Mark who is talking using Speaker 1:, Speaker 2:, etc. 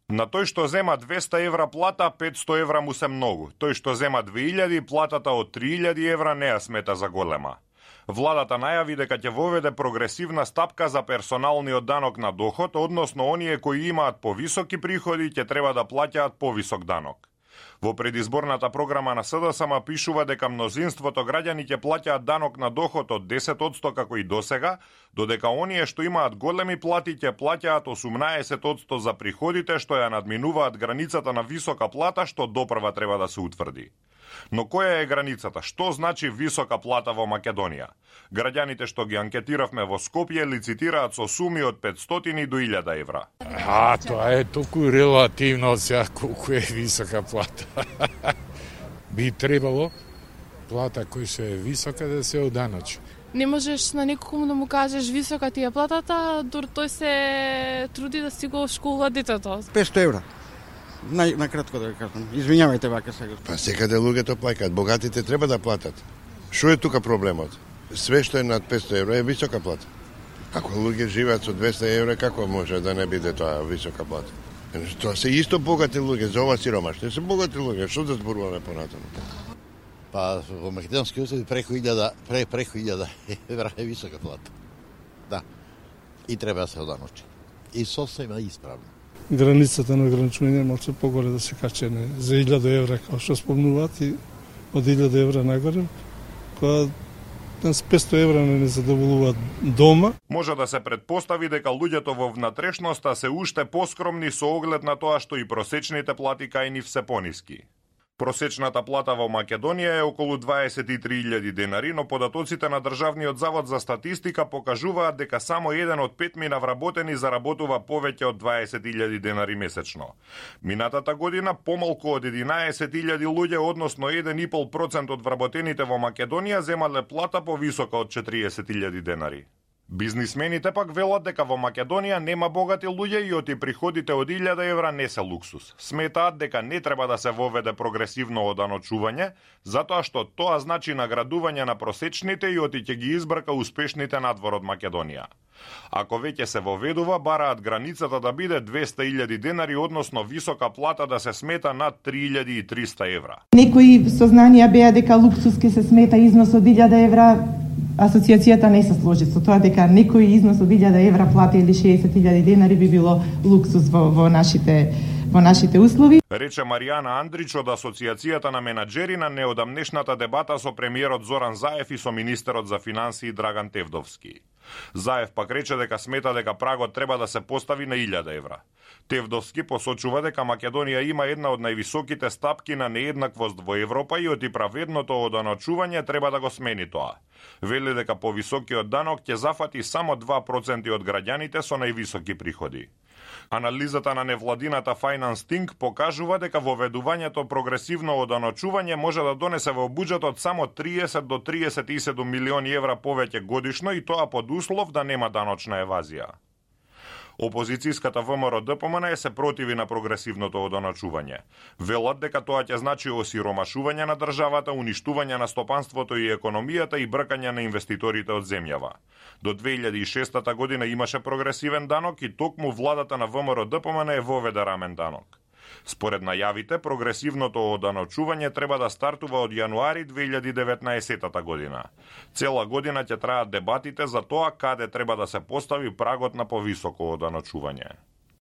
Speaker 1: На тој што зема 200 евра плата, 500 евра му се многу. Тој што зема 2000, платата од 3000 евра не ја смета за голема. Владата најави дека ќе воведе прогресивна стапка за персоналниот данок на доход, односно оние кои имаат повисоки приходи ќе треба да плаќаат повисок данок. Во предизборната програма на СДСМ пишува дека мнозинството граѓани ќе плаќаат данок на доход од 10% како и досега, додека оние што имаат големи плати ќе плаќаат 18% за приходите што ја надминуваат границата на висока плата што допрва треба да се утврди. Но која е границата? Што значи висока плата во Македонија? Граѓаните што ги анкетиравме во Скопје лицитираат со суми од 500 до 1000 евра.
Speaker 2: Тоа е толку релативно сега колку е висока плата. Би требало плата која се е висока да се оданочи.
Speaker 3: Не можеш на некому да му кажеш висока ти е платата, дор тој се труди да си го школува детето.
Speaker 4: 500 евра. Накратко да кажам. Извинјавајте вака сега.
Speaker 5: Па секаде луѓето плаќаат, богатите треба да платат. Што е тука проблемот? Све што е над 500 евра е висока плата. Ако луѓе живеат со 200 евра, како може да не биде тоа висока плата? Тоа се исто богати луѓе, за ова сиромашни се богати луѓе, што да зборуваме понатаму?
Speaker 6: Па во македонски услови преку 1000 евра е висока плата. Да. И треба да се оданочи. И сосема исправно.
Speaker 7: Границата на ограничување малку погоре да се качене за 1000 евра, како што спомнуваат, и од 1000 евра нагоре, која с 500 евра не задоволуваат дома.
Speaker 1: Може да се предпостави дека луѓето во внатрешноста се уште поскромни со оглед на тоа што и просечните плати кај нив се пониски. Просечната плата во Македонија е околу 23.000 денари, но податоците на Државниот завод за статистика покажуваат дека само 1 од 5 вработени заработува повеќе од 20.000 денари месечно. Минатата година помалку од 11.000 луѓе, односно 1,5% од вработените во Македонија земале плата повисока од 40.000 денари. Бизнисмените пак велат дека во Македонија нема богати луѓе и оти приходите од 1000 евра не се луксус. Сметаат дека не треба да се воведе прогресивно оданочување, затоа што тоа значи наградување на просечните и оти ќе ги избрка успешните надвор од Македонија. Ако веќе се воведува, бараат границата да биде 200.000 денари, односно висока плата да се смета над 3.300 евра.
Speaker 8: Некои сознанија беа дека луксус ке се смета износ од 1000 евра. Асоциацијата не се сложи со тоа дека некој износ од 1000 евра плата или 60.000 денари би било луксус во нашите услови.
Speaker 1: Рече Маријана Андрич од Асоциацијата на менаџери на неодамнешната дебата со премиерот Зоран Заев и со министерот за финансии Драган Тевдовски. Заев пак рече дека смета дека прагот треба да се постави на 1000 евра. Тевдовски посочува дека Македонија има една од највисоките стапки на нееднаквост во Европа и оти праведното оданочување треба да го смени тоа. Вели дека повисокиот данок ќе зафати само 2% од граѓаните со највисоки приходи. Анализата на невладината Finance Think покажува дека воведувањето прогресивно оданочување може да донесе во буџетот само 30 до 37 милиони евра повеќе годишно и тоа под услов да нема даночна евазија. Опозицијската ВМРО-ДПМН се противи на прогресивното оданочување. Велат дека тоа ќе значи осиромашување на државата, уништување на стопанството и економијата и бркање на инвеститорите од земјава. До 2006 година имаше прогресивен данок и токму владата на ВМРО-ДПМН воведе рамен данок. Според најавите, прогресивното оданочување треба да стартува од јануари 2019 година. Цела година ќе траат дебатите за тоа каде треба да се постави прагот на повисоко оданочување.